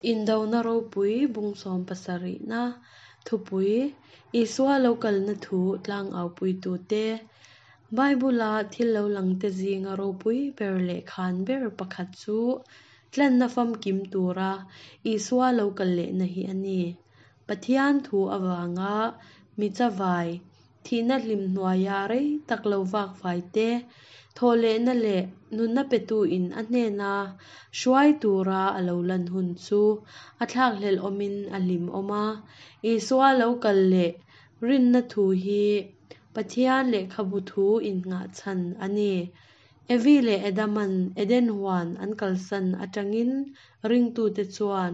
Indona ropui bung 70na thupui, Isua lo kalna thu tlangaupuitute, Bible-a thil lo langte zinga ropui ber leh khan ber pakhat chu tlanna famkim tura Isua lo kal lehna hi a ni. Pathian thu avanga mi chavai, Thihna hlim hnuaia rei tak lo vak fai te, thawhlehna leh nunna petuin a hnena hruai tura a lo lan hun chu a thlakhlelh awmin a hlim awm a. Isua lo kal leh rinna thu hi Pathian lehkhabu thu innghah chhan a ni. Evi leh Adaman Eden huan an kalsan atangin ringtute chuan.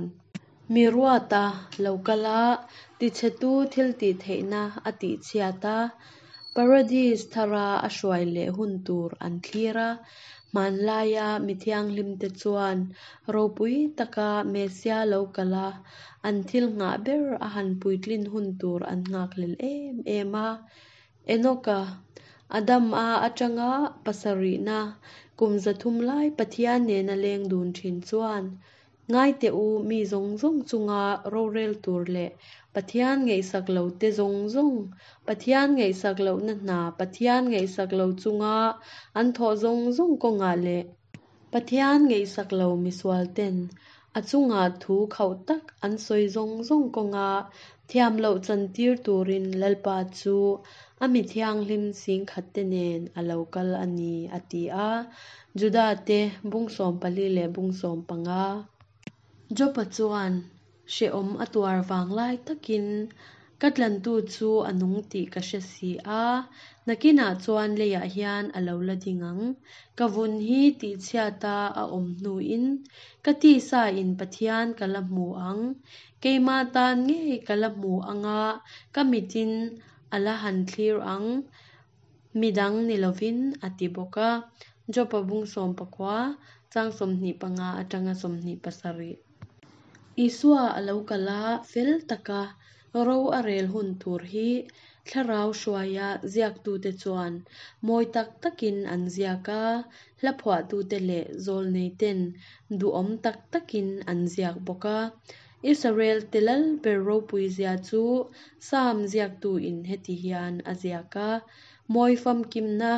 Mi ruata lo kal a, tichhetu thiltihtheihna a tihchhiat a, Paradis thara a hruai leh hun tur an thlir a. Hmanlaia mi thianghlimte chuan ropui taka Messia lo kal a, an thil nghah ber a han puitlin hun tur an nghakhlel em em a. Enoka, Adam-a atanga pasarihna kum 300 lai Pathian nena leng dun thin chuan Ngai teh u, mi zawng zawng chunga rorel tur leh Pathian ngaihsak lo te zawng zawng, Pathian ngaihsak lohna hna Pathian ngaihsak lo chunga an thawh zawng zawng kawngah leh Pathian ngaihsak lo misual ten a chunga thu khauh tak an sawi zawng zawng kawnga thiam loh chantir turin Lalpa chu a mi thianghlim singkhat te nen a lo kal a ni, a ti a. Juda te bung 14 leh bung 15. Jopa chuan hrehawm a tuar vang lai takin ka tlantu chu a nung tih ka hre si a, nakinah chuan leiah hian a lo la ding ang. Ka vun hi tihchhiata a awm hnuin ka tisa in Pathian ka la hmu ang. Keimah tan ngei ka la hmu anga ka mitin a la han thlir ang. Midang ni lovin a ti bawk a. Jopa bung 19, chang 25 atanga 27. Isua a lo kal a, fel taka ro a rel hun tur hi thlarau hruaia ziaktute chuan mawi tak takin an ziak a, hla phuahtute leh zawlneiten duhawm tak takin an ziak bawk a. Israel te lal ber ropui zia chu Psalm ziaktuin heti hian a ziak a, Mawi famkimna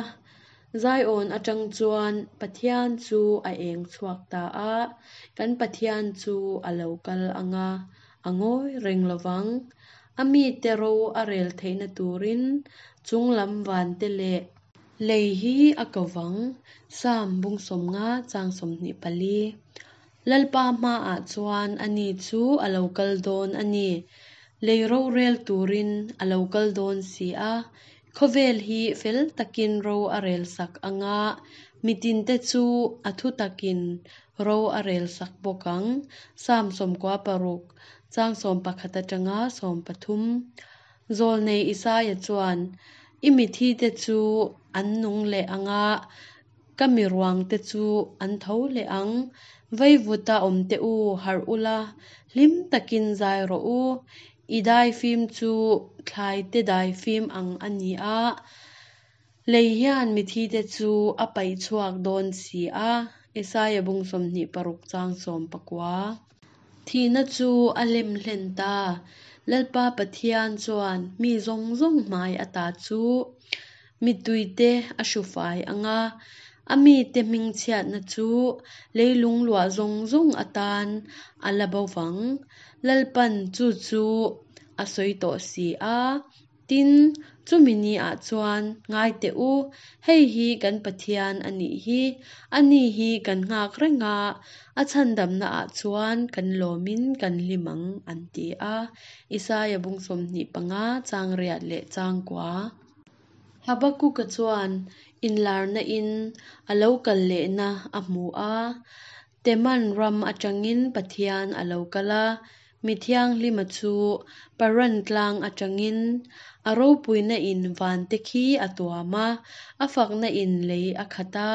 Zion atang chuan Pathian chu a eng chhuak ta a, kan Pathian chu a lo kal ang a, a ngawi reng lovang. A mite ro a rel theihna turin chunglam vante leh lei hi a ko vang, Psalm bung 50 chang 24. Lalpa hmaah chuan ani chu a lo kal dawn a ni. Lei rorel turin a lo kal dawn si a, khawvel hi fel takin ro a rel sak ang a, mitinte chu a thu takin ro a rel sak bawk ang. Psalm 96, chang 11 atanga 13. Zawlnei Isaia chuan, I mithite chu an nung leh ang a, Ka mi ruangte chu an tho leh ang. Veivuta awmte u, harh ula, hlim takin zai rawh u. I daifim chu thlaite daifim ang a ni a, lei hian mithite chu a paih chhuak dawn si a. Isaia bung 26 chang 19. Thihna chu a lem hlen ta. Lalpa Pathian chuan mi zawng zawng hmai ata chu Mittuite a hru fai ang a, a mite hmingchhiatna chu leilung luah zawng zawng atan a la bo vang. Lalpan chu chu a sawi tawh si a. Tin, chumi niah chuan ngai teh u, hei hi kan Pathian a nih hi, ani hi kan nghak reng a, a chhandamnaah chuan kan lawmin kan hlim ang, an ti a. Isaia bung 25 chang riat leh chang kua. Habakuka chuan inlarna in a lo kal lehna a hmu a, Teman ram atangin Pathian a lo kal a, mi thianghlima chu Paran tlang atangin a ropuina in vante khi a tuam a, a fakna in lei a khat a,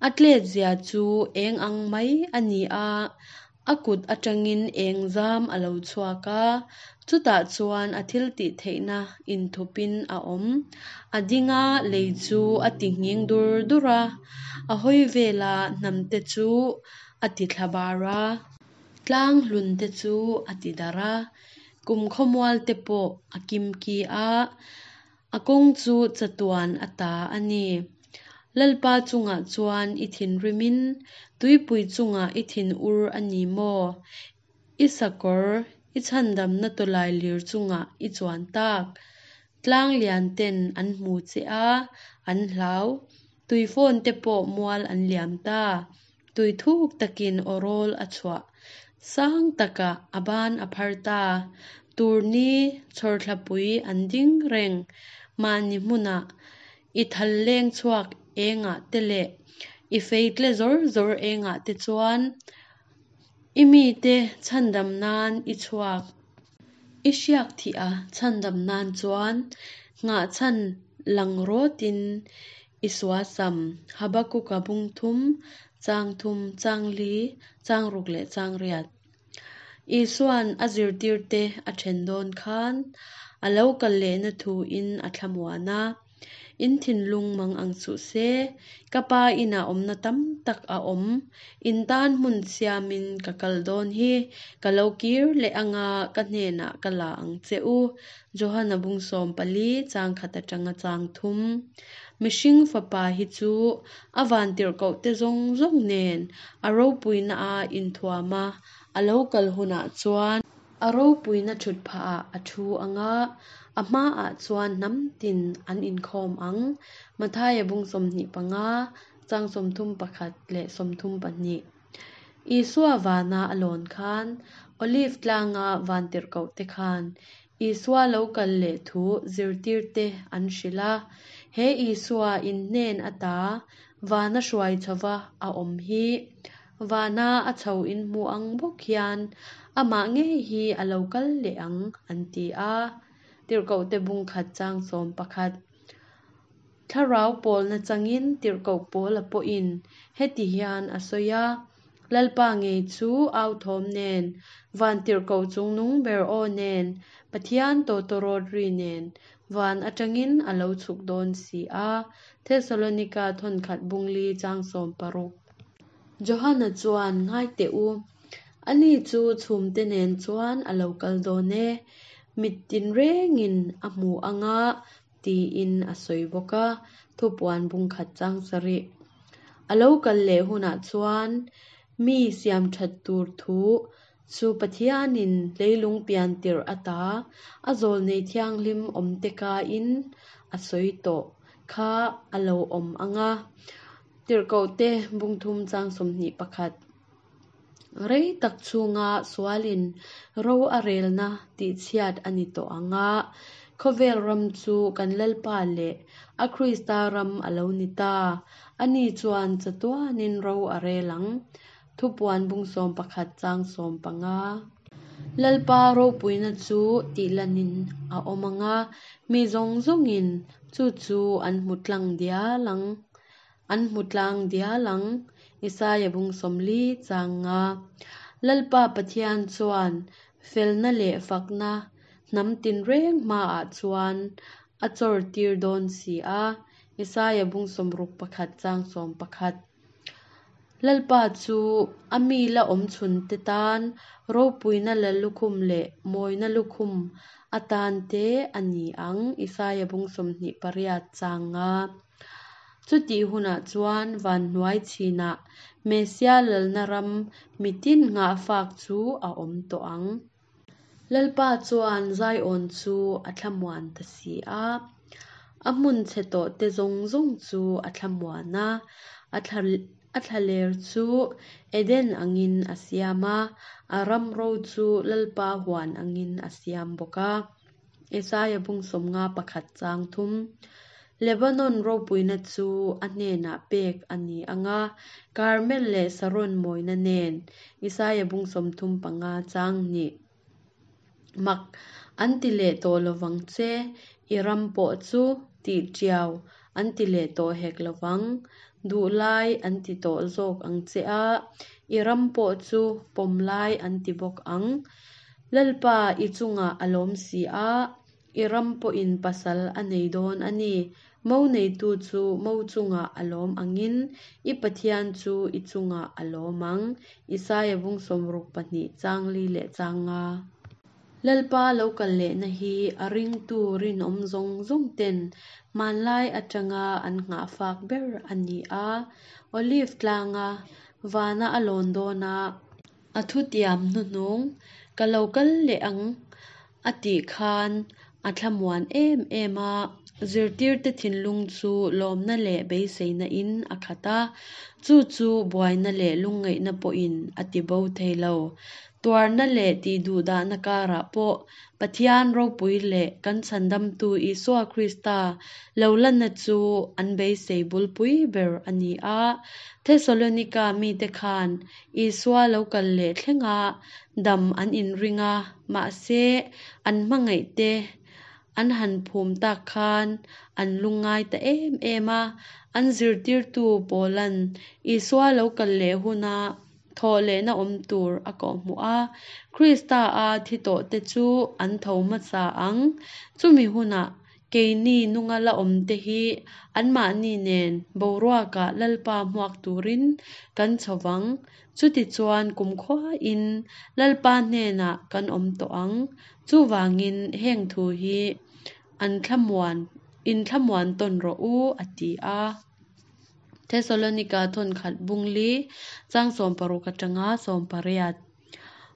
a tlet zia chu eng ang mai a ni a, A kut atangin eng zam a lo chhuak a, chutah chuan a thil tih theihna inthupin a awm. A ding a, lei chu a ti nghing dur dur a, a hawi vela hnamte chu a ti thla bar a. Tlang hlunte chu a tidarh a, kum khawmualte pawh a kimki a, a kawng chu chatuan a ta a ni. Lalpa chungah chuan i thinrimin tuipui chungah i thinur a ni maw? I sakawr, i chhandamna tawlailir chungah i chuan tak. Tlang lian ten an hmu che a, an hlau. Tuifawn te pawh mual an liam ta. Tui thuk takin aw rawl a chhuah. Sang takah a ban a phar ta. Turni chhawrthlapui an ding reng. Mahni hmunah i thal leng chhuak engah te leh i fei tle zawr zawr engah te chuan i mite chhandam nan i chhuak. I hriak thih a chhandam nan chuan nghahchhan lang rawtin i suasam. Habakuka bung thum, chang thum, chang li, chang ruk leh chang riat. Isua'n a zirtirte a then dawn khan a lo kal lehna thuin a thlamuan a. In thinlung mang ang suh se, ka Pa inah awmna tam tak a awm. In tan hmun siamin ka kal dawn hi, ka lo kir leh anga ka hnenah ka la ang che u. Johana bung 14 chang khat atanga chang thum. Mihring Fapa hi chu a vantirhkohte zawng zawng nen a ropuina a inthuam a, a lo kal hunah chuan A ropuina thut phahah a thu ang a, a hmaah chuan hnam tin an inkhawm ang. Mathaia bung 25, chang 31 leh 32. Isua vana a lawn khan, Olive tlanga vantirhkohte khan Isua lo kal leh thu zirtirte an hrilh a. He Isua in hnen ata vana hruai chhova a awm hi Vana a chho inhmu ang bawk hian amah ngei hi a lo kal leh ang, an ti a. Tirhkohte bung khat chang 11. Thlarau pawlna changin tirhkoh Paula pawhin heti hian a sawi a, Lalpa ngei chu au thawm nen, van tirhkoh chungnung ber aw nen, Pathian tawtawrawt ri nen, van atangin a lo chhuk dawn si a. Thesalonika thawnkhat bung li chang 16. Johana chuan, Ngai teh u, ani chu chhumte nen chuan a lo kal dawn e, mit tinrengin a hmu ang a, tiin a sawi bawk a, thupuan bung khat chang sarih. A lo kal leh hunah chuan mi siam that tur thu chu Pathianin leilung pian tirh ata a zawlnei thianghlim awmte kain a sawi tawh kha a lo awm ang a. Tirhkohte bung thum chang 21. Rei tak chhunga sualin ro a relna tihchhiat a ni tawh ang a, khawvel ram chu kan Lalpa leh a Krista ram a lo ni ta. Ani chuan chatuanin ro a rel ang. Thupuan bung 11 chang 15. Lalpa ropuina chu tihlanin a awm ang a, mi zawng zawngin chu chu an hmu tlang dial ang. An hmu tlang dial ang, Isaia bung 40 chang nga. Lalpa Pathian chuan felna leh fakna hnam tinreng hmaah chuan a chawr tir dawn si a, Isaia bung 61 chang 11. Lalpa chu a mi la awm chhunte tan ropuina la lukhum leh mawina lukhum atan te a ni ang, Isaia bung 28 chang nga. Chutih hunah chuan van hnuai chinah Messia lalna ram mitin nghahfak chu a awm tawh ang. Lalpa chuan Zion chu a thlamuan ta si a, a hmun chhe tawhte zawng zawng chu a thlamuan a, a thlaler chu Eden angin a siam a, a ram ro chu Lalpa huan angin a siam bawk a. Isaia bung 51 chang thum. Lebanon ropuina chu a hnenah pek a ni ang a, Karmel leh Saron mawina nen, Isaia bung 35 chang hnih. Mak an ti leh tawh lovang che, i ram pawh chu tih tiau an ti leh tawh hek lovang, duh lai an ti tawh zawk ang che a, i ram pawh chu pawm lai an ti bawk ang. Lalpa i chungah a lawm si a, i ram pawhin pasal a nei dawn a ni. Mo neitu chu mo chungah a lawm angin i Pathian chu i chungah a lawm ang. Isaia bung 62 chang li leh chang nga. Lalpa lo kal lehna hi a ringtu rinawm zawng zawng ten hmanlai atanga an nghahfak ber a ni a. Olive tlanga vana a lawn dawna a thutiam hnuhnung, Ka lo kal leh ang a tih khan a thlamuan em em a. Zirtirte thinlung chu lawmna leh beiseina in a khat a, chu chu buaina leh lungngaihna pawhin a tibo thei lo. Tuarna leh tihduhdahna karah pawh Pathian ropui leh kan Chhandamtu Isua Krista lo lanna chu an beisei bulpui ber a ni a. Thesalonika mite khan Isua lo kal leh thlenga dam an inring a, mahse an hmangaihte an han phum tak khan an lungngai ta em em a. An zirtirtu Paula'n Isua lo kal leh huna thawhlehna awm tur a kawhhmuh a, Krista a thi tawhte chu an tho hmasa ang. Chumi hunah keini nunga la awmte hi anmahni nen boruakah Lalpa hmuak turin kan chho vang. Chutichuan kumkhuain Lalpa hnenah kan awm tawh ang. Chuvangin heng thu hi an thlamuan inthlamuan tawn rawh u, a ti a. Thesalonika thawnkhat bung li chang 60 atanga 80.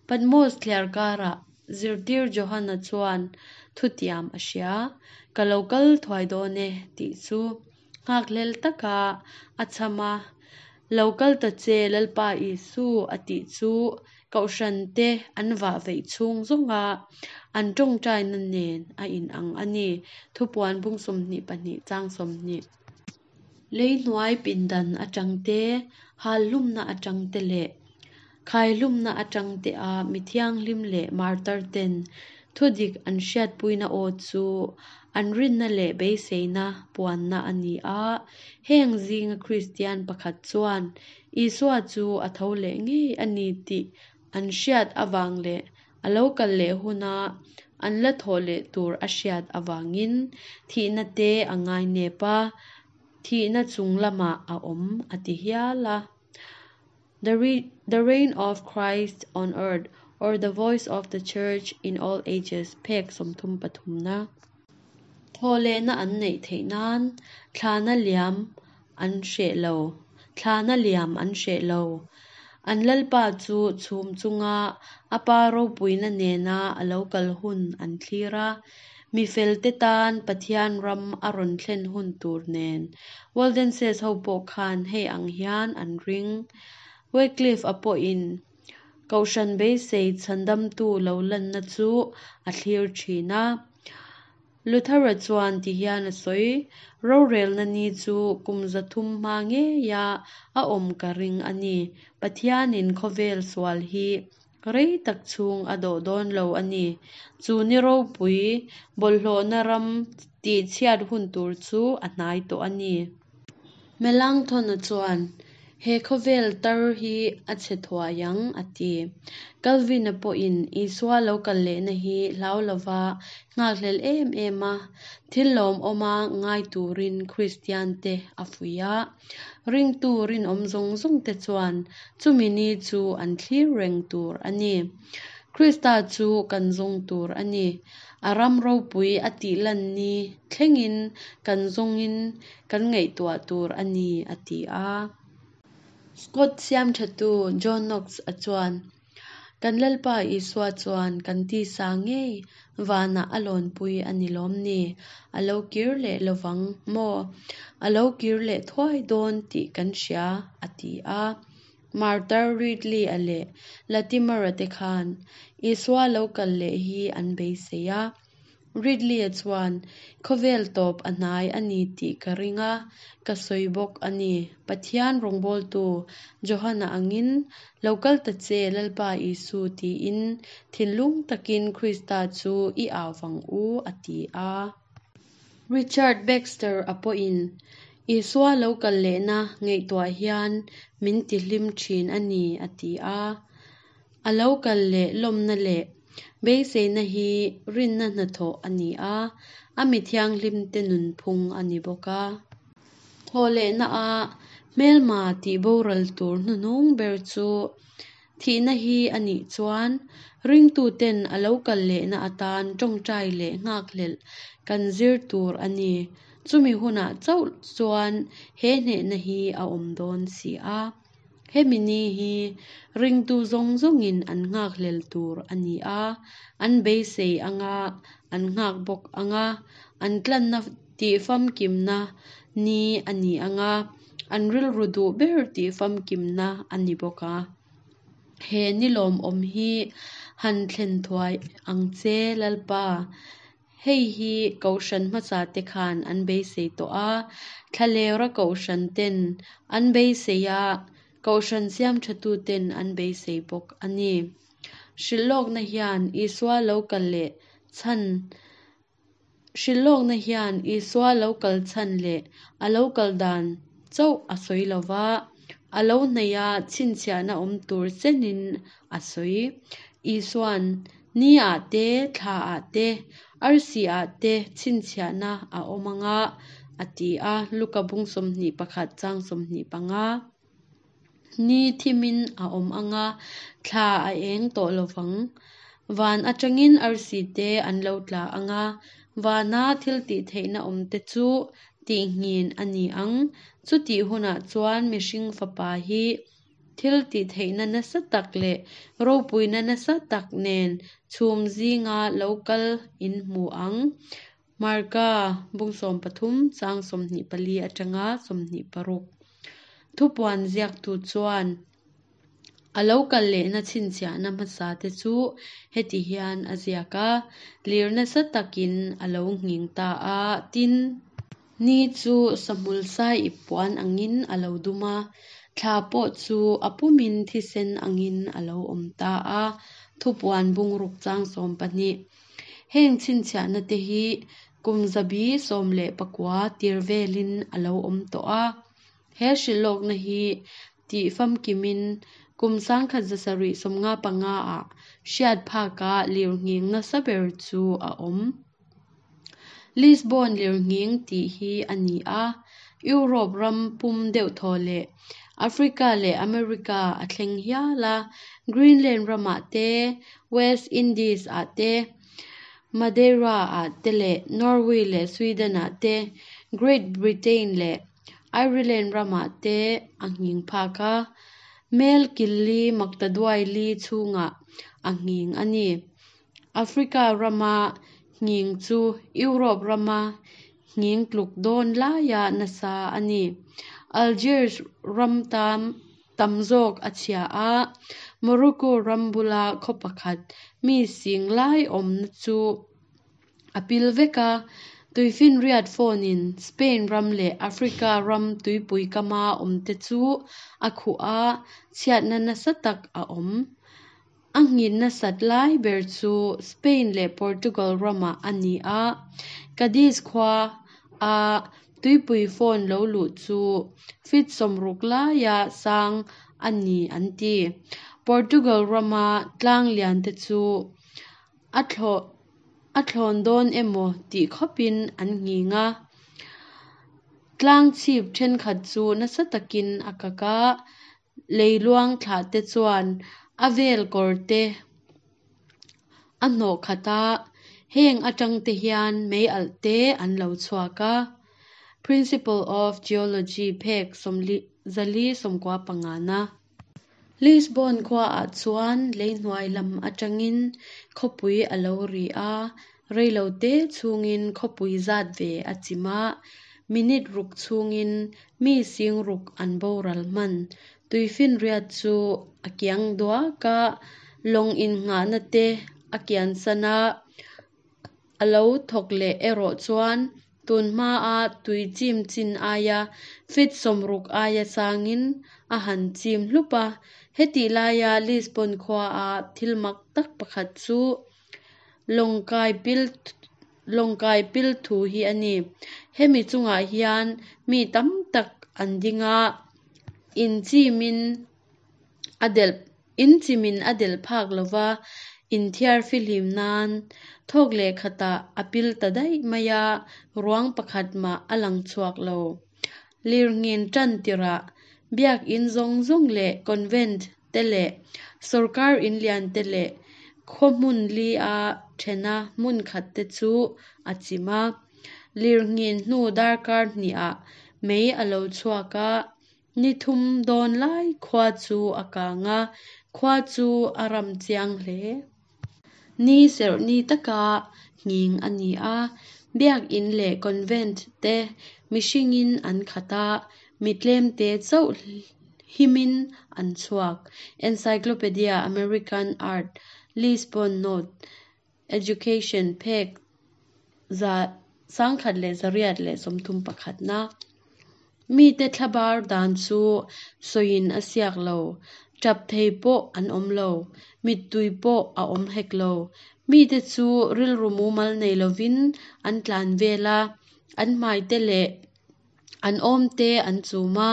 Patmos thliar karah zirtir Johana chuan thutiam a hria, Ka lo kal thuai dawn e, tih chu nghakhlel taka a chham a, Lo kal ta che Lalpa Isu a tih chu Kohhran te an vah veih chhung zawnga an tawngtaina nen a inang a ni, Thupuan bung 22 chang 20. Lei hnuai pindan atang te, hal hlumna atang te leh khai hlumna atang te a mi thianghlim leh martar ten thudik an hriatpuina aw chu an rinna leh beiseina puanna a ni a. Heng zinga Kristian pakhat chuan Isua chu a tho leh ngei a ni tih an hriat avang leh a lo kal leh huna an la thawh leh tur a hriat avangin thihna te a ngainep a, thihna chung lamah a awm a ti hial a. The The Reign of Christ on Earth or The Voice of the Church in All Ages phek 33 na. Thawhlehna an neih theih nan thlana liam an hreh lo, thlana liam an hreh lo. An Lalpa chu chhum chunga a Pa ropuina nena a lo kal hun an thlir a, mi felte tan Pathian ram a rawn thlen hun tur nen. Waldenses ho pawh khan hei ang hian an ring. Wycliffe-a pawhin Kohhran beisei chhandamtu lo lanna chu a thlir thin a. Luther-a chuan ti hian a sawi, Rorelna ni chu kum 300 hma ngeia a awm ka ring a ni. Pathianin khawvel sual hi rei tak chhung a dawh dawn lo a ni. Chu ni ropui bawlhhlawhna ram tihchhiat hun tur chu a hnai tawh a ni. Melanchthon-a chuan, He khawvel tar hi a chhe thuai ang, a ti. Calvin-a pawhin Isua lo kal lehna hi hlau lova nghakhlel em em a, thil lawmawma ngai turin Kristiante a fuih a. Ringtu rinawm zawng zawngte chuan chumi ni chu an thlir reng tur a ni. Krista chu kan zawng tur a ni. A ram ropui a tih lan ni thlengin kan zawngin kan ngaihtuah tur a ni, a ti a. Scott siamthatu John Knox-a chuan, Kan Lalpa Isua chuan kan tisa ngei vanah a lawnpui a ni lawm ni? A lo kir leh lovang maw? A lo kir leh thuai dawn tih kan hria, a ti a. Martar Ridley-a leh Latimer-a te khan Isua lo kal leh hi an beisei a. Ridley-a chuan, Khawvel tawp a hnai a ni tih ka ring a, ka sawi bawk a ni. Pathian rawngbawltu Johana angin, Lo kal ta che, Lalpa Isu tiin thinlung takin Krista chu i au vang u, a ti a. Richard Baxter-a pawhin, Isua lo kal lehna ngaihtuah hian min tihlim thin a ni, a ti a. A lo kal leh lawmna leh. Beiseina hi rinna hnathawh a ni a, a mi thianghlimte nunphung a ni bawk a. Thawhlehnaah hmelma tihboral tur hnuhnung ber chu thihna hi a nih chuan ringtuten a lo kal lehna atan tawngtai leh nghakhlelh kan zir tur a ni. Chumi hunah chauh chuan he hnehna hi a awm dawn si a. Hemi ni hi ringtu zawng zawngin an nghakhlel tur a ni a, an beisei anga, an nghak bawk anga, an tlanna tihfamkimna ni a ni anga, an rilru duh ber tihfamkimna a ni bawk a. He ni lawmawm hi han thlen thuai ang che Lalpa. Hei hi Kohhran hmasate khan an beisei tawh a, thlalera Kohhran ten an beisei a, Kohhran siamthatuten an beisei bawk a ni. Hrilhlawkna hian Isua lo kal leh chhan Hrilhlawkna hian Isua lo kal chhan leh a lo kal dan chauh a sawi lo va, a lo hnaih a chhinchhiahna awm tur chenin a sawi. Isua'n ni ah te, thla ah te, arsi ah te chhinchhiahna a awm anga a ti a, Luka bung 21 chang 25. Ni thimin a awm anga, thla a eng tawh lovang. Van atangin arsi te an lo tla anga, vana thiltihtheihna awm te chu tihnghin a ni ang. Chutih hunah chuan mihring fapa hi thiltihtheihna nasa tak leh ropuina nasa tak nen chhum zinga lo kal in hmu ang. Marka bung 13 chang 24 atanga 26. Thupuan ziaktu chuan a lo kal lehna chhinchhiahna hmasa te chu heti hian a ziak a, Lir nasa takin a lo nghing ta a, tin, ni chu sahmul sai ip puan angin a lo dum a, thla pawh chu a pumin thisen angin a lo awm ta a, Thupuan bung ruk chang 12. Heng chhinchhiahna te hi kum zabi 19 tir velin a lo awm tawh a. He hrilhlawkna hi tih famkimin kum 1795 ah hriat phaka lirnghing nasa ber chu a awm. Lisbon lirnghing tih hi a ni a, Europe ram pum deuhthaw leh Africa leh America a thleng hial a, Greenland ramah te, West Indies ah te, Madeira ah te leh Norway leh Sweden ah te, Great Britain leh Ireland ramah te a nghing phak a, mel kil li maktaduai li chhungah a nghing a ni. Africa rama nghing chu Europe rama nghing tluk dawn laia nasa a ni. Algiers ram tam tam zawk a chhia a, Morocco ram bula khaw pakhat mi sing lai awmna chu a pil vek a, tuifinriat fawnin Spain ram leh Africa ram tuipui kama awmte chu a khuh a, chhiatna nasa tak a awm. A nghin nasat lai ber chu Spain leh Portugal ramah a ni a, Cadiz khua a tuipui fawn lo luh chu feet 60 laia sang a ni an ti. Portugal rama tlang lian te chu a a thlawn dawn emaw tih khawpin an nghing a. Tlang chhip thenkhat chu nasa takin a kak a, leiluang thlah te chuan a vel kawr te a hnawh khat a, heng atang te hian mei alh te an lo chhuak a. Principle of Geology phek 495 na. Lisbon khuaah chuan leihnuai lam atangin khawpui a lo ri a, reilote chhungin khawpui zat ve a chim a, minute ruk chhungin mi sing ruk an boral hman. Tuifinriat chu a kiang duak a, lawng innghahna te a kiansan a, a lo thawk leh erawh chuan tun hmaa tui chim chin aia feet 60 aia sangin a han chim hlup a. Hetih laia Lisbon khuaa thil mak tak pakhat chu lawngkai pil thu hi a ni. Hemi chungah hian mi tam tak an ding a, in chimin a delh in chimin a delh phak lova, Inthiar fihlim nan thawk leh khatah a pil ta daih mai a, ruang pakhat mah a lang chhuak lo. Lirnghin tan tirah Biakinn zawng zawng leh convent te leh sorkar in lian te leh khaw hmun li a thena hmun khat te chu a chim a. Lirnghin hnu darkar hnihah mei a lo chhuak a, ni thum dawn lai khua chu a kang a, khua chu a ram chiang hle. Ni serh ni taka nghing a ni a, Biakinn leh convent te mihringin an khat a, mi tlemte chauh himin an chhuak. Encyclopedia American Art, Lisbon Note, Education phek 1831 na. Mite thlabar dan chu sawiin a siak lo, tap thei pawh an awm lo, mittui pawh a awm hek lo. Mite chu rilru mumal nei lovin an tlan vel a, an hmaite leh an awmte an chum a.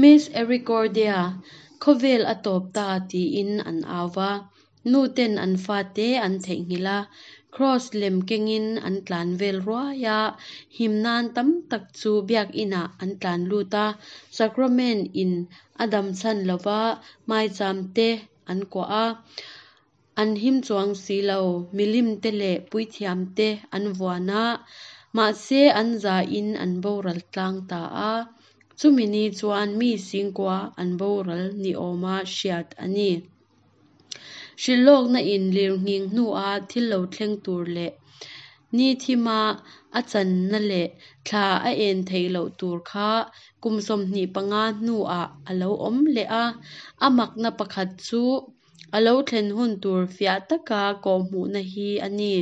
Miss Ericordia, khawvel a tawp ta tiin an au va, nu ten an fate an theihnghilh a, Kraws lem kengin an tlan vel ruai a, him nan tam tak chu biakinah an tlan lut a, Sacrament in a dam chhan lova maicham te an kuah a, an him chuang si lo, milim te leh puithiam te an vuan a, mahse an zain an boral tlang ta a, chumi ni chuan mi singkua an boral ni awma hriat a ni. Hrilhlawkna in lirnghing hnua thil lo thleng tur leh ni thima a channa leh thla a en theih loh tur kha kum 25 hnuah a lo awm leh a, a makna pakhat chu a lo thlen hun tur fiah taka kawhhmuhna hi a ni.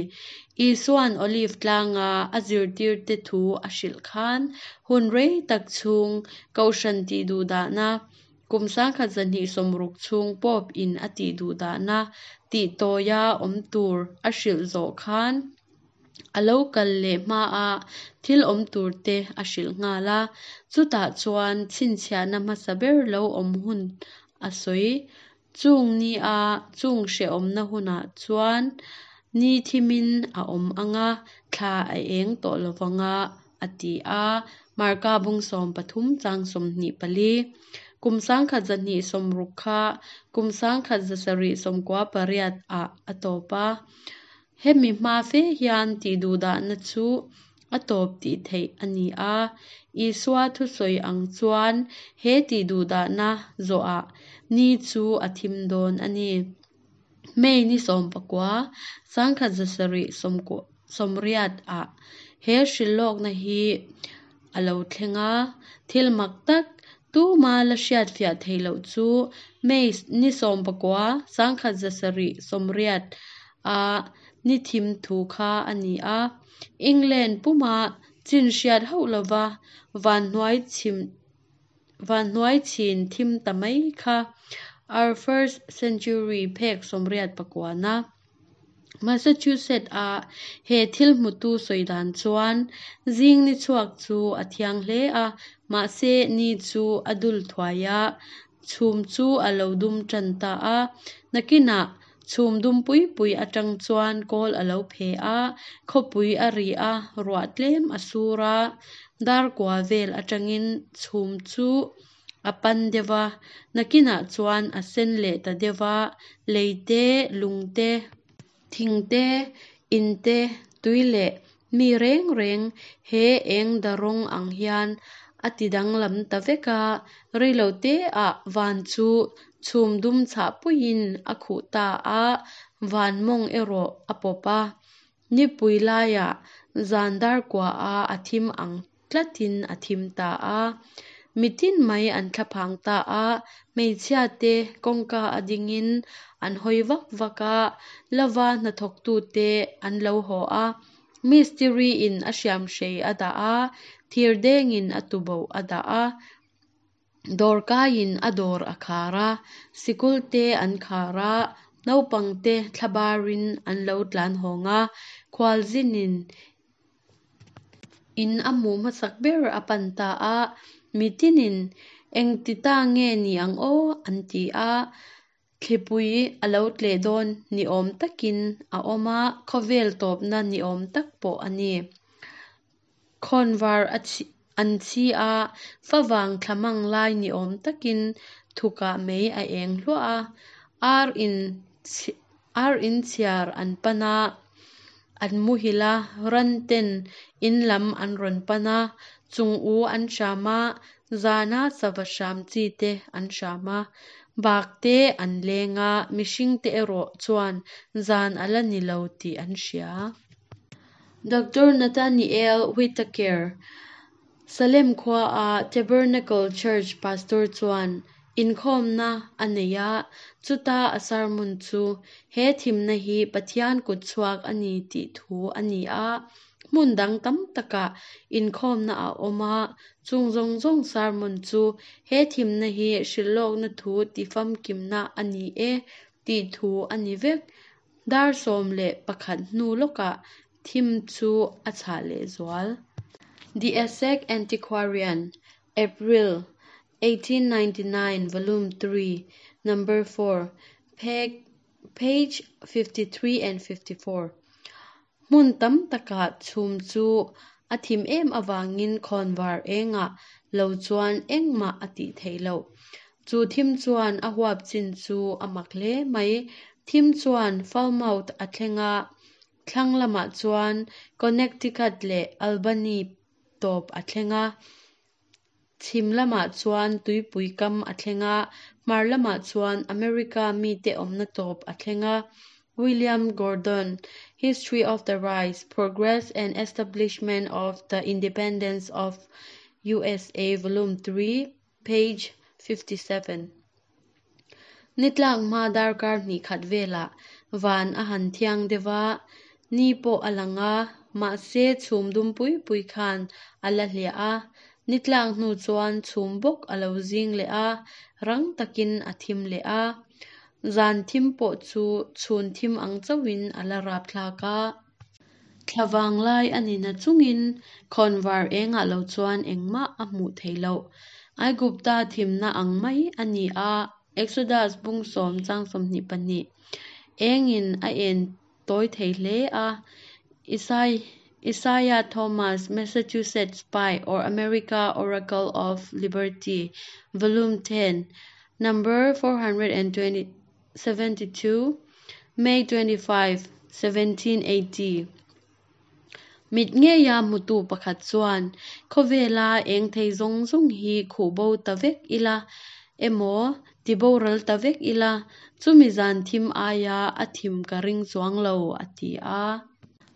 Isua'n Olive tlanga a zirtirte thu a hrilh khan hun rei tak chhung Kohhran tihduhdahna, kum 1260 chhung Pope in a tihduhdahna tihtawia awm tur a hrilh zawh khan a lo kal leh hmaa thil awm turte a hrilh nghal a, chutah chuan chhinchhiahna hmasa ber lo awm hun a sawi. Chung nia chung hrehawmna hunah chuan ni thimin a awm ang a, thla a eng tawh lo vang a, a ti a, Marka bung 13 chang 24. Kum 1260 kha kum 1798 ah a tawp a. Hemi hma fe hian tihduhdahna chu a tawp tih theih a ni a. Isua thusawi ang chuan he tihduhdahna zawhah ni chu a thim dawn a ni. May ni 19, 1780 ah he hrilhlawkna hi a lo thleng a. Thil mak tak, tuma la hriatfiah theih loh chu May ni 19, 1780 a ni thim thu kha a ni a. England puma chin hriat hauh lova vanhnuai chhin thim ta mai kha Our First Century phek 89 na. Massachusetts a he thil hmutu sawi dan chuan zing ni chhuak chu a thiang hle a, mahse ni chu a dul thuai a, chhum chu a lo dum tan ta a. Nakinah chhum dum pui pui atang chuan kawl a lo phe a, khawpui a ri a, ruah tlem a sur a, dar kua vel atangin chhum chu a pan deuh va, nakinah chuan a sen leh ta deuh va, lei te, lung te, thing te, in te, tui leh mi reng reng he eng da rawng ang hian a ti danglam ta vek a, reilote ah van chu chhum dum chhah puiin a khuh ta a, van mawng erawh a pawp a. Nipui laiah zan dar kua a a thim ang tlatin a thim ta a. Mitin mai an thlaphang ta a, hmeichhia te kawngka a dingin an hawi vak vak a, lova hnathawktute an lo haw a. Mistiri in a hriamhrei a dah a, thirdengin a tuboh a dah a, dawrkaiin a dawr a khar a, sikul te an khar a, naupang te thlabarin an lo tlan hawng a, khualzinin in a hmuh hmasak ber a pan ta a, mitinin engti ta nge ni ang aw an ti a. Thlipui a lo tleh dawn ni awm takin a awm a, khawvel tawpna ni awm tak pawh a ni. Khawnvar an chhi a, favang thla mang lai ni awm takin thukah mei a eng hluah a, ar in ar in chhiar an pan a, an muhil a, ran ten in lam an rawn pan a, chung u an hram a, zana sava hram chi te an hram a, bak te an leng a, mihring te erawh chuan zan a la ni lo tih an hria. Doctor Nathaniel Whittaker, Salem khuaa Tabernacle Church pastor chuan inkhawmna a nei a, chuta a sermon chu he thimna hi Pathian kutchhuak a ni tih thu a ni a. Hmun dang tam takah inkhawmna a awm a, chung zawng zawng sermon chu he thimna hi hrilhlawkna thu tifamkimna a ni e tih thu a ni vek. Dar 11 hnu lawkah thim chu a chhah lehzual. The Essex Antiquarian, April, 1899, Volume 3, Number 4, page 53 and 54. Hmun tam takah chhum chu a thim em avangin khawnvar engah lo chuan engmah a tih theih loh. Chu thim chuan a huap chin chu a mak hle mai. Thim chuan Falmouth a thleng a, thlang lamah chuan Connecticut leh Albany tawp a thleng a, chhim lamah chuan tuipui kam a thleng a, hmar lamah chuan America mite awmna tawp a thleng a. William Gordon, History of the Rise, Progress and Establishment of the Independence of USA, Volume 3, page 57. Nitlak hma darkar hnih khat velah van a han thiang deuh a, ni pawh a lang a, mahse chhum dum pui pui khan a la hliah a. Nitlak hnu chuan chhum bawk a lo zing leh a, rang takin a thim leh a. Zan thim pawh chu chhun thim ang chauhin a la rapthlak a. Thla vanglai a ni na chungin khawnvar engah lo chuan engmah a hmuh theih loh. Aigupta thimna ang mai a ni a, Exodus bung 10 chang 22. Engin a en tawi thei hle a. Isaiah Thomas, Massachusetts Spy or America Oracle of Liberty, Volume 10, Number 472, May 25, 1780. Mit ngeia hmutu pakhat chuan khawvela eng thei zawng zawng hi khuh bo ta vek ila emaw tiboral ta vek ila chumi zan thim aia a thim ka ring chuang lo a ti a.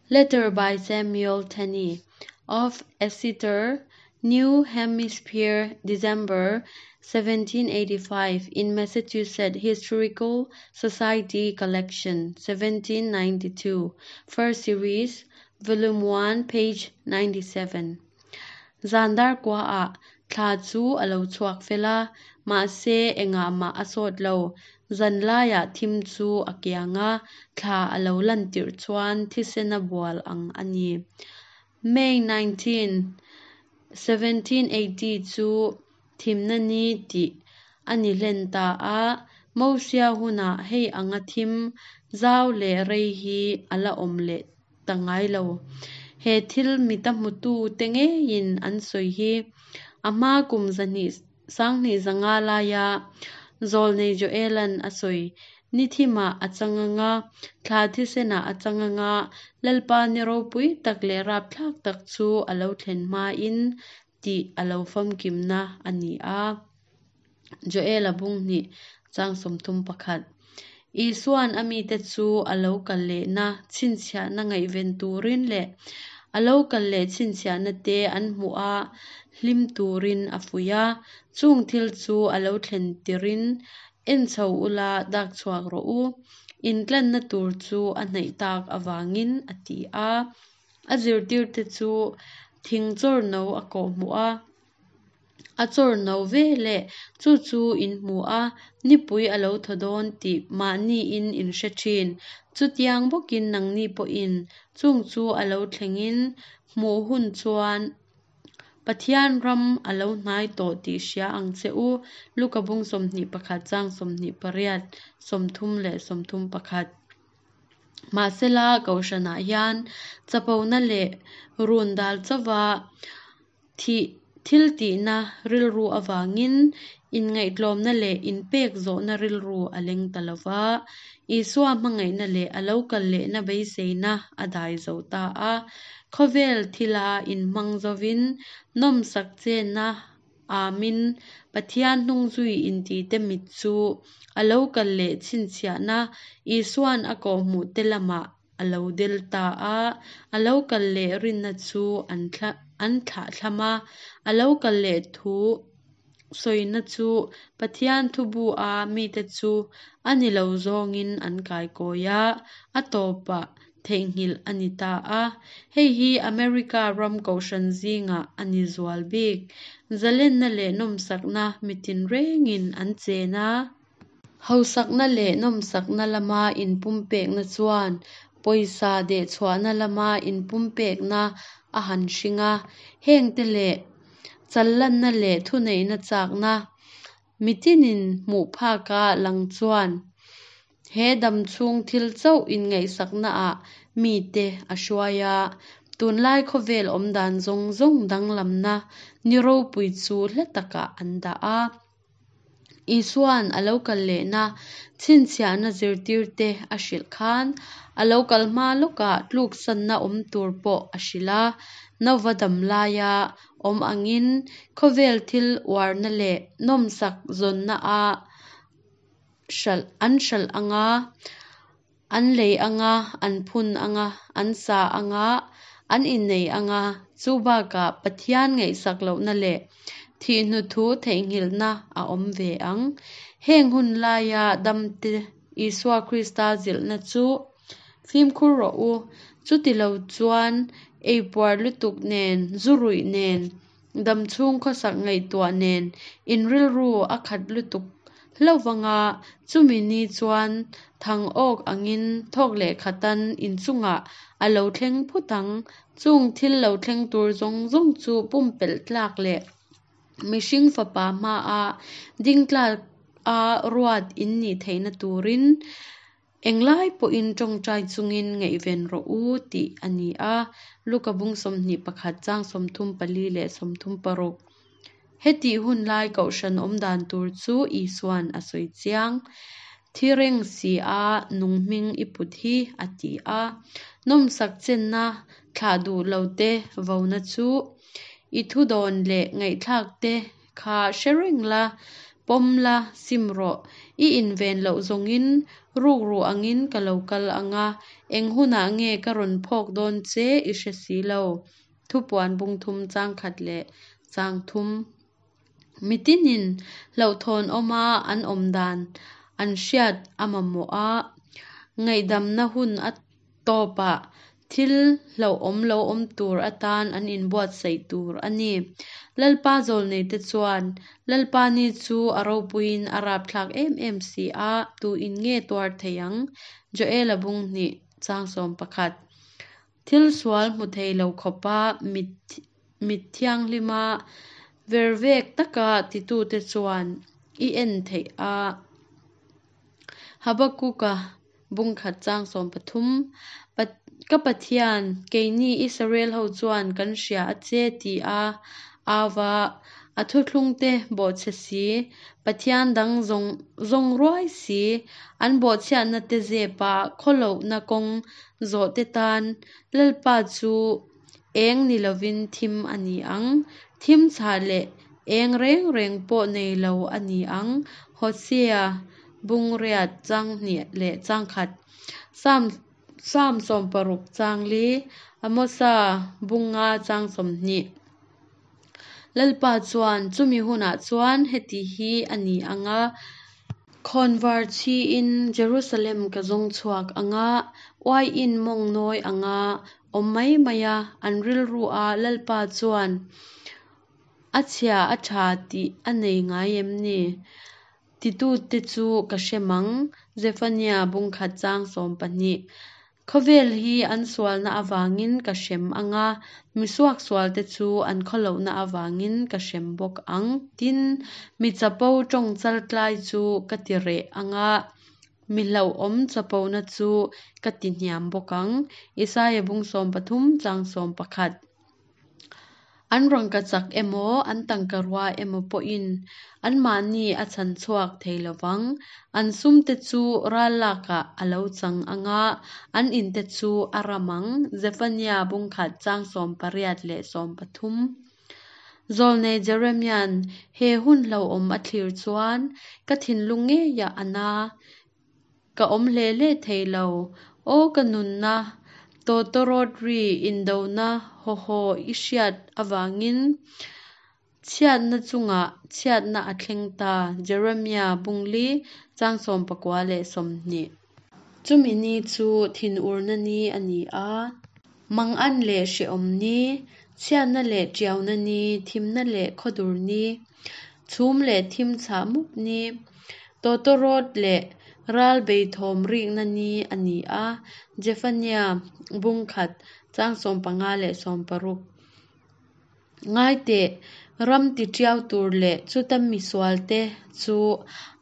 Letter by Samuel Tenney of Exeter, New Hampshire, December 1785 in Massachusetts Historical Society Collection, 1792, First Series, Volume 1, page 97. Zan dar kwa a thla chu a lo chhuak fel a, mahse engah mah a sawt lo. Zan laiah thim chu a kiang a, thla a lo lan tirh chuan thisen a bual ang a ni. May 19, 1780 chu thimna ni tih a ni hlen ta a, Mosia hunah hei anga thim zau leh rei hi a la awm leh ta ngai lo. He thil mita hmutu te ngeiin an sawi hi a hma kum zahnih sanghnih zanga laia zawlnei Joelan a sawi. Ni thimah a chang anga, thla thisenah a chang anga, Lalpa ni ropui tak leh rapthlak tak chu a lo thlen hmain tih a lo famkimna a ni a. Joela bung hnih chang 31. Isuan a mite chu a lo kal lehna chhinchhiahna ngaihven turin leh a lo kal leh chhinchhiahna te an hmuh a hlim turin a fuih a. Chung thil chu a lo thlen tirin en chho ula dak chhuak rawh u. Intlanna tur chu a hnaih tak avangin a ti a. A zirtirte chu thing chawr no a kawh hmuh a. A chawr no ve leh chu chu in hmu a, nipui a lo thaw dawn tih mahniin in hre thin. Chutiang bawkin nangni pawhin chung chu a lo thlengin hmuh hun chuan Pathian ram a lo hnai tawh tih hria ang che u, Luka bung 21 chang 28, 31. Mahsela Kohhranah hian chapona leh run dal chauva thih thiltihna rilru avangin inngaihtlawmna leh inpek zawhna rilru a leng ta lo va, Isua hmangaihna leh a lo kal lehna beiseina a dai zo ta a. Khawvel thila inhmang zovin nawmsak chenna amin Pathian hnungzui intite mit chu a lo kal leh chhinchhiahna Isuan a kawhhmuhte lamah a lo del ta a, a lo kal leh rinna chu an thlahthlam a, a lo kal leh thu sawina chu Pathian thubu a mite chu a ni lo zawngin an kaikawi a, a tawpah theihnghilh a ni ta a. Hei hi America ram kohhran zingah a ni zual bik. Zalenna leh nawmsakna mitin rengin an chen a. Hausakna leh nawmsakna lama inpumpekna chuan pawisa dehchhuahna lama inpumpekna a han hring a. Hengte leh challanna leh thuneihna chakna mitinin hmuh phaka lang chuan he damchhung thil chauh inngaihsaknaah mite a hruai a. Tunlai khawvel awmdan zawng zawng danglamna ni ropui chu hla takah an dah a. Isuan a lo kal lehna chhinchhiahna zirtirte a hrilh khan a lo kal hma lawkah tluksanna awm tur pawh a hrilh a. Nova dam laia awm angin khawvel thil uarna leh nawmsak zawnna a hralh an hralh anga, an lei anga, an phun anga, an sa anga, an innei anga, chu bakah Pathian ngaihsak lohna leh thihhnu thu theihnghilhna a awm ve ang. Heng hun laia damte Isua Krista zilhna chu fimkhur rawh u, chutilo chuan eipuar lutuk nen, zu ruih nen, damchhung khawsak ngaihtuah nen in rilru a khat lutuk hlauhvanga chumi ni chuan thang awk angin thawk leh khatan inchungah a lo thleng phut ang. Chung thil lo thleng tur zawng zawng chu pumpelh tlak leh mihring fapa hmaa ding tlak a ruat in nih theihna turin Englai pawhin tawngtai chungin ngaihven rawh u tih a ni a, Luka bung 21 chang 34 leh 36. Hetih hun lai kohhran awm dan tur chu Isuan a sawi chiang. Thi reng si a nung hming i put hi, a ti a. Nawmsak chenna thlah duh lo te vona chu i thu dawn leh ngaihthlak te kha hre reng la, pawm la, sim rawh. I inven loh zawngin rukru angin ka lo kal ang a, eng hunah nge ka rawn phawk dawn che i hre si lo. Thupuan bung thum chang khat leh chang thum. Mitinin hlauhthawn awma an awm dan an hriat a mamawh a, ngaihdamna hun a tawpah thil hlauhawm lo awm tur atan an inbuatsaih tur a ni. Lalpa zawlneite chuan, Lalpa ni chu a ropuiin a rapthlak em em si a, tuin nge tuar thei ang? Joela bung hnih chang 11. Thil sual hmu thei lo khawpa mit mit thianghlima vervek taka titute chuan i en theih a. Habakuka bung khat chang 13. Ka Pathian, keini Israel ho chuan kan hria a che ti a ava a thuthlungte bawhchhe si, Pathian dang zawng zawng ruai si, an bawhchhiatna te zepa khawlohna kawng zawhte tan Lalpa chu eng ni lovin thim a ni ang. Thim chhah leh eng reng reng pawh nei lo a ni ang. Hosea bung riat chang hnih leh chang khat. Psalm Psalm 60 chang li, Amosa bung nga chang 20. Lalpa chuan chumi hunah chuan heti hi a ni ang a, khawnvar chhiin Jerusalem ka zawng chhuak ang a, uaiin mawng nawi ang a, awm mai mai a, an rilru a Lalpa chuan a chhia a tha tih a nei ngai em ni? Titute chu ka hre mang, Zephaniah bung khat chang 12. Khawvel hi an sualna avangin ka hrem ang a, mi suaksualte chu an khawlohna avangin ka hrem bawk ang. Tin, mi chapo tawng chaltlai chu ka ti reh ang a, mi hlauhawm chapona chu ka ti hniam bawk ang. Isaia bung 13 chang 11. An rangkachak emaw, an tangkarua emaw pawhin anmahni a chhan chhuak thei lo vang. An sumte chu ral lakah a lo chang ang a, an inte chu a ram ang. Zephania bung khat chang 18 leh 13. Zawlnei Jeremia'n he hun hlauhawm a thlir chuan, Ka thinlung ngeiah a na. Ka awm hle hle thei lo. Aw ka nunna, tawtawrawt ri indona haw haw i hriat avangin chhiatna chungah chhiatna a thleng ta, Jeremia bung li, chang 19 leh 20. Chumi ni chu thinurna ni a ni a, mangan leh hrehawm ni, chhiatna leh tiauna ni, thimna leh khawdur ni, chhum leh thim chhah mup ni, tawtawrawt leh ral beithawm rikna ni a ni a, Zephania bung khat, chang 15 leh 16. Ngai teh, ram tiṭiau tur leh chuta mi sualte chu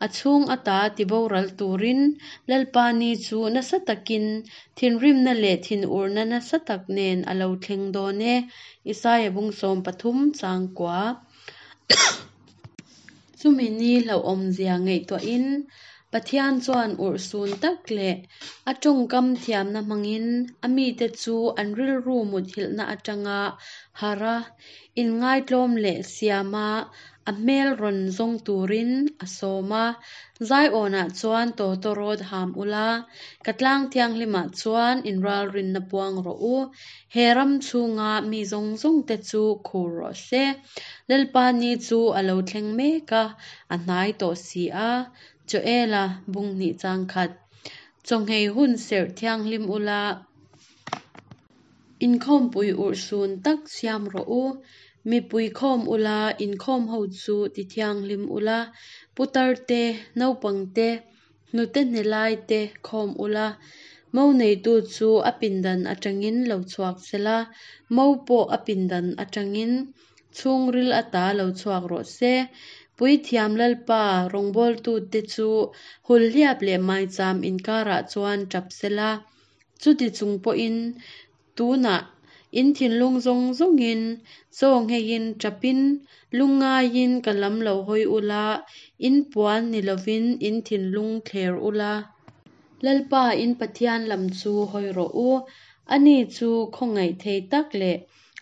a chhung ata tiboral turin Lalpa ni chu nasa takin thinrimna leh thinurna nasa tak nen a lo thleng dawn e, Isaia bung 13 chang kua. Chumi ni hlauhawmzia ngaihtuahin Pathian chuan urhsun tak leh a tawngkam thiamna hmangin a mite chu an rilru muthilhna atanga harh a, inngaitlawm leh siama a hmel rawn zawng turin a sawm a. Zaiawnah chuan tawtawrawt ham ula, ka tlang thianghlimah chuan inralrinna puang rawh u. He ram chhunga mi zawng zawngte chu khur rawh se. Lalpa ni chu a lo thleng mek a, a hnai tawh si a. Joela bung hnih chang khat. Chawnghei hun serh thianghlim ula, inkhawmpui urhsun tak siam rawh u. Mipui khawm ula, inkhawm ho chu ti thianghlim ula, putar te, naupang te, hnute hnelai te khawm ula, mo neitu chu a pindan atangin lo chhuak sela, mo pawh a pindan atangin chhungril ata lo chhuak rawh se. Puithiam Lalpa rawngbawltute chu hulhliap leh maicham inkarah chuan tap sela, chuti chung pawhin tunah in thinlung zawng zawngin chaw ngheiin tapin lungngaiin ka lam lo hawi ula, in puan ni lovin in thinlung thler ula. Lalpa in Pathian lam chu hawi rawh u, ani chu khawngaih thei tak leh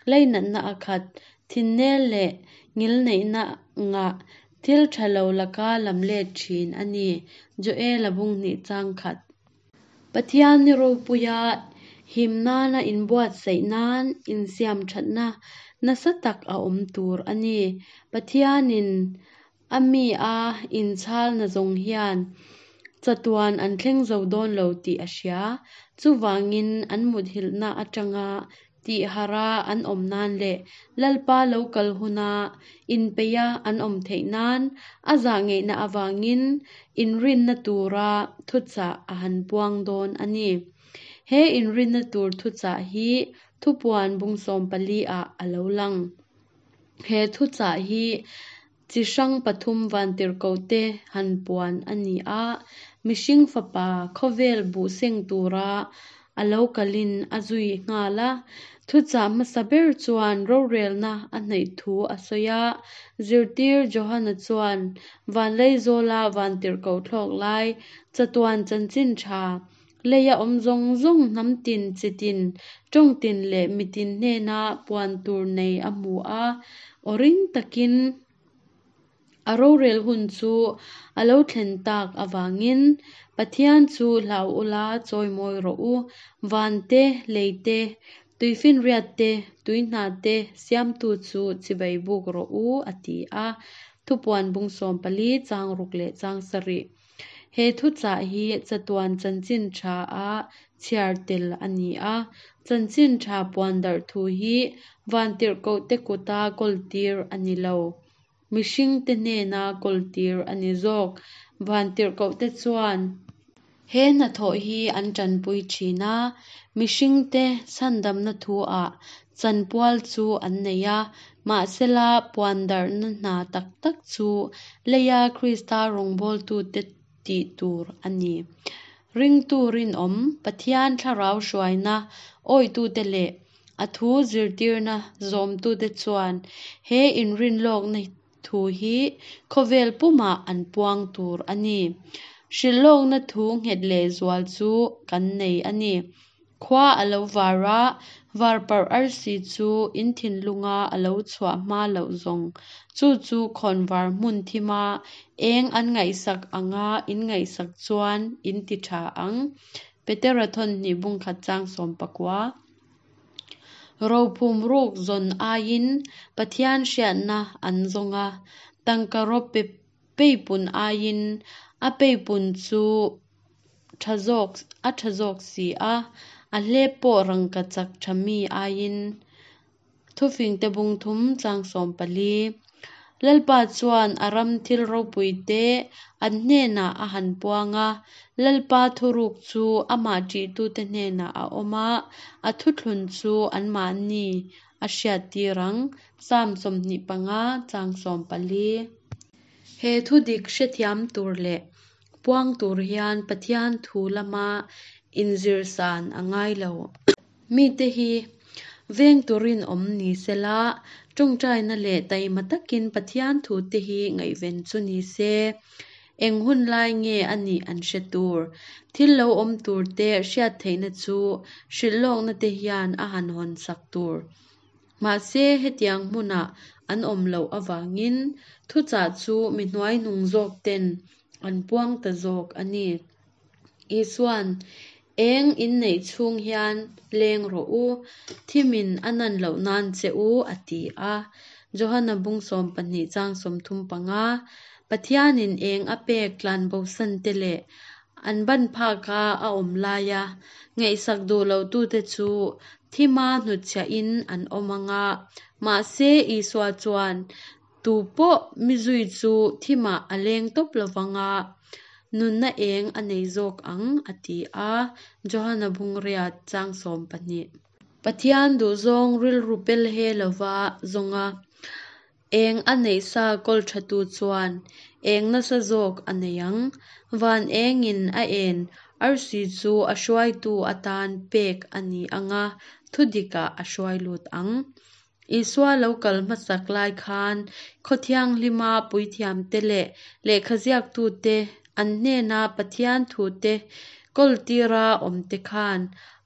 leinatna a khat, thinnel leh ngilneihna ngah thil tha lo laka lam let thin a ni, Joela bung hnih chang khat. Pathian ni ropuia him nana inbuatsaih nan insiam thatna nasa tak a awm tur a ni. Pathianin a mi a inchhalna zawng hian chatuan an thleng zo dawn lo tih a hria. Chuvangin an muthilhna atanga tihharh a an awm nan leh Lalpa lo kal huna inpeih a an awm theih nan a zah ngeihna avangin inrinna tura thuchah a han puang dawn a ni. He inrinna tur thuchah hi thupuan bung 14 ah a lo lang. He thuchah hi chi hrang pathum vantirhkohte han puan a ni a, mihring fapa khawvel buh seng tura a lo kalin a zui nghal a. Thuchah hmasa ber chuan rorelna a hnaih thu a sawi a, zirtir Johana chuan vanleizawla vantirhkoh thlawk lai chatuan chanchin tha leia awm zawng zawng hnam tin, chi tin, tawng tin leh mitin hnena puan tur nei a hmu a, aw ring takin a rorel hun chu a lo thlen tak avangin Pathian chu hlau ula chawimawi rawh u, van te, lei te, tuifinriat te, tuihna te siamtu chu chibai buk rawh u, a ti a. Thupuan bung 14 chang ruk leh chang sarih. He thuchah hi chatuan chanchin tha a chhiar tel a ni a, chanchin tha puan darh thu hi vantirhkohte kuta kawltir a ni lo. Mihringte hnena kawltir a ni zawk. Vantirhkohte chuan. He hnathawh hi an ṭanpui ṭhin a, mihringte chhandamna thu-ah chanpual chu an nei a, mahsela puandarhna hna tak tak chu leia Krista rawngbawltute tih tur a ni. Ringtu rinawm, Pathian thlarau hruaina awihtute leh a thu zirtirna zawmtute chuan he inrinlawkna thu hi khawvel pumah an puang tur a ni. Hrilhlawkna thu nghet lehzual chu kan nei a ni. Khua a lo var a, varparh arsi chu in thinlunga a lo chhuah hma loh zawng, chu chu khawnvar hmun thima eng an ngaihsak anga in ngaihsak chuan in ti tha ang. Petera thawnhnih bungkhat chang 19. Rophum ruk zawn aiin Pathian hriatna an zawng a, tangka rawp peipun aiin a peipun chu tha zawk a tha zawk si a, a hlep pawh rangkachak tha mi aiin. Thufingte bung thum chang 14. Lalpa chuan a ram thil ropuite an hnenah a han puang a, Lalpa thuruk chu amah ṭihtute hnenah a awm a, a thuthlun chu anmahni a hriattir ang. Psalm 25 chang 14. He thudik hrethiam tur leh puang tur hian Pathian thu lama inzirsan a ngai lo. Mite hi veng turin awm ni sela, tawngtaina leh taima takin Pathian thute hi ngaihven chu ni se. Eng hun lai nge a nih an hre tur. Thil lo awm turte hriat theihna chu hrilhlawkna te hian a han hawn sak tur. Mahse hetiang hmunah an awm loh avangin thuchah chu mi hnuaihnung zawk ten an puang ta zawk a ni. Isuan, Eng inneih chhung hian leng rawh u, thimin a nan loh nan che u, a ti a. Johana bung 12 chang 35, Pathianin eng a pek tlanbosan te leh an ban phaka a awm laia ngaihsak duh lohtute chu thima hnutchhiahin an awm ang a. Mahse, Isua chuan, Tu pawh mi zui chu thimah a leng tawp lovang a, nunna eng a nei zawk ang, a ti a, Johana bungriat chang 12. Pathian duhzawng rilru pel he lova zawnga eng a neih sa kawl thatu chuan eng nasa zawk a nei ang. Van engin a en arsi chu a hruaitu atan pek a ni ang a, thudikah a hruai lut ang. Isua lo kal hmasak lai khan khaw thianghlima puithiamte leh lehkhaziaktute an hnena Pathian thute kawltira awmte khan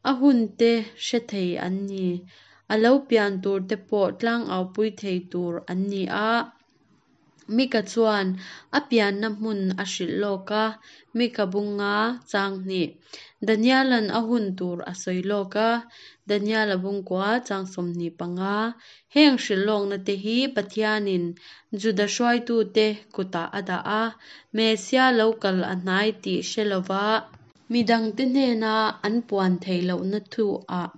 a hunte hre thei an ni. A lo pian turte pawh tlangaupui thei tur an ni a. Mika chuan a pianna hmun a hrilh lawk a, Mika bunga chang hnih. Daniela'n a hun tur a sawi lawk a, Daniela bungkua chang 25. Heng hrilh lawkna te hi Pathianin Juda hruaitute kutah a dah a, Messia lo kal a hnai tih hre lova, midangte hnena an puan theih lohna thu-ah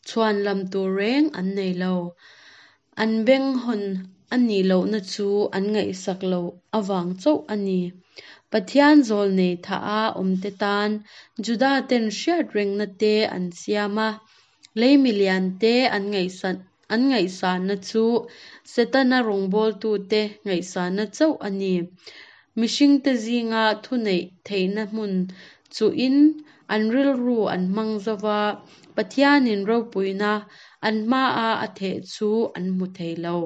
chhuanlam tur reng an nei lo. An beng hawn a nih lohna chu an ngaihsak loh avang chauh a ni. Pathian zawlnei thaha awmte tan Juda ten hriat rengna te an siam a, lei milian te an an ngaihsanna chu Setana rawngbawltute ngaihsanna chauh a ni. Mihringte zinga thuneih theihna hmun chuhin an rilru an hmang zo va, Pathianin ropuina an hmaah a theh chu an hmu thei lo.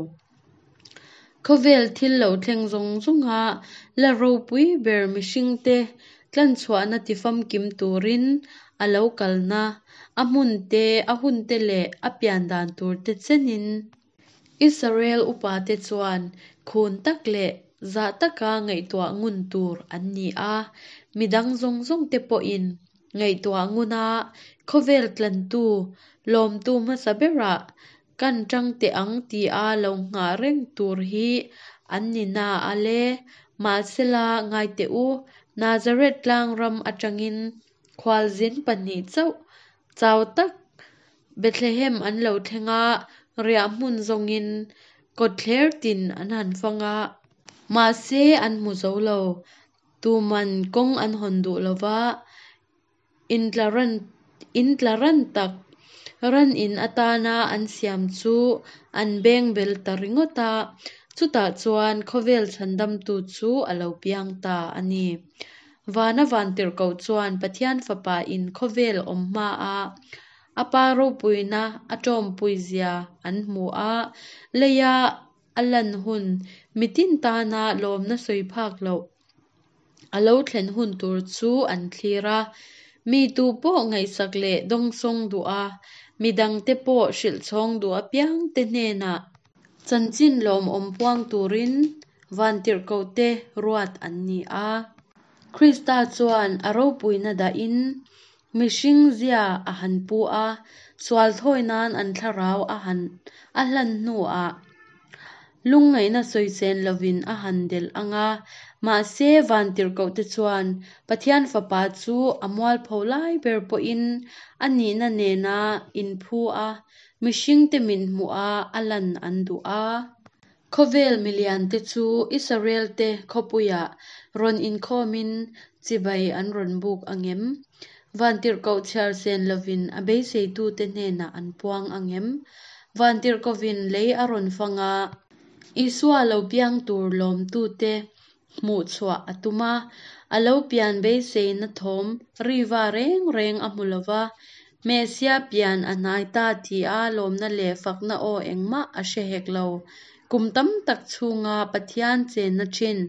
Khawvel thil lo thleng zawng zawnga la ropui ber mihringte tlanchhuahna tifamkim turin a lo kalna, a hmun te, a hun te leh a pian dan tur te chenin. Israel upate chuan khun tak leh zah taka ngaihtuah ngun tur an ni a, midang zawng zawngte pawhin ngaihtuah ngun a, khawvel tlantu, lawmtu hmasa berah kan tang teh ang tia lo nghah reng tur hi an ni na a le. Mahsela ngai teh u, Nazareth tlang ram atangin khualzin pahnih chauh chau tak Bethlehem an lo thleng a, riah hmun zawngin kawtthler tin an han fang a. Mahse an hmu zo lo. Tuman kawng an hawn duh lo va. In tlaran tak, ran in atana an siam chu an bengbel ta ringawt a, chutah chuan khawvel chhandamtu chu a lo piang ta a ni. Vana vantirhkoh chuan Pathian Fapa in khawvel awm hmaa a Pa ropuina a tawmpuizia an hmu a, leia a lan hun mitin tana lawmna sawi phak loh a lo thlen hun tur chu an thlir a. Mi tu pawh ngaihsak leh dawngsawng duh a, mi dangte pawh hrilhchhawng duh apiangte hnenah chanchin lawmawm puang turin vantirhkohte ruat an ni a. Krista chuan a ropuina dahin mihring zia a han pu a, sual thawi nan an thlarau a han a hlan hnuah lungngaihna sawisên lovin a han delh ang a. Mahse, vantirhkohte chuan Pathian Fapa chu a mualpho lai ber pawhin a nihna nena inphu a, mihringte mithmuha a lan an duh a. Khawvel miliante chu Israelte khawpuiah rawn inkhawmin chibai an rawn buk ang em? Vantirhkoh chhiar sen lovin a beiseitute hnenah an puang ang em? Vantirhkohvin lei a rawn fang a, Isua lo piang tur lawmtute hmuh chhuah a tum a, a lo pian beiseina thawm riva reng reng a hmu lo va, Messia pian a hnai ta tia lawmna leh fakna aw engmah a hre hek lo. Kum tam tak chhunga Pathian chenna thin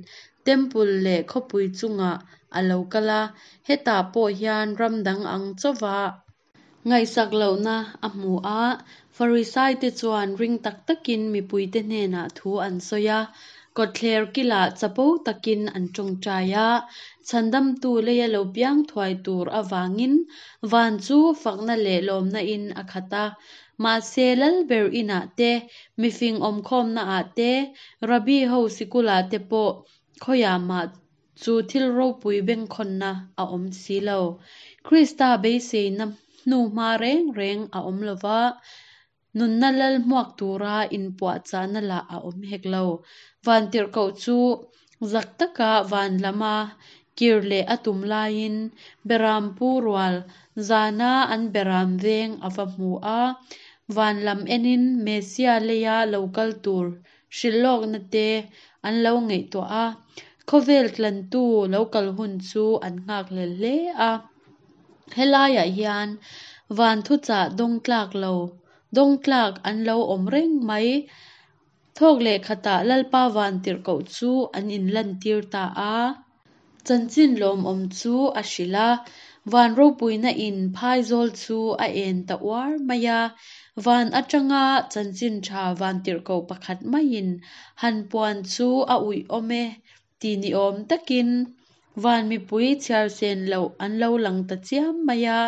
Temple leh khawpui chungah a lo kal a, hetah pawh hian ram dang ang chauhva ngaihsak lohna a hmu a. Farisaite chuan ring tak takin mipuite hnenah thu an sawi a, kawtthler kilah chapo takin an tawngtai a, Chhandamtu leia lo piang thuai tur avangin van chu fakna leh lawmna in a khat a. Mahse, Lalber inah te, mifing awmkhawmnaah te, Rabbi ho sikulah te pawh khawiah mah chu thil ropui bengkhawnna a awm si lo. Krista beiseina hnuhma reng reng a awm lo va, nunna lal hmuak tura inpuahchahna lah a awm hek lo. Vantirhkoh chu zak taka van lama kir leh a tum laiin Berampu rual zana an beram veng a va hmu a, van lam enin Messia leia lo kal tur hrilhlawkna te an lo ngaihtuah a, khawvel tlantu lo kal hun chu an nghakhlel hle a. Helaiah hian van thuchah dawng tlak lo, dawng tlak an lo awm reng mai. Thawk leh khatah Lalpa vantirhkoh chu an inlantir ta a. Chanchin lawmawm chu a hrilh a, van ropuina in phaizawl chu a en ta uar mai a. Van atanga chanchin tha vantirhkoh pakhat maiin han puan chu a uih awm e ti ni awm takin van mipui chhiar sen loh an lo lang ta chiam mai a.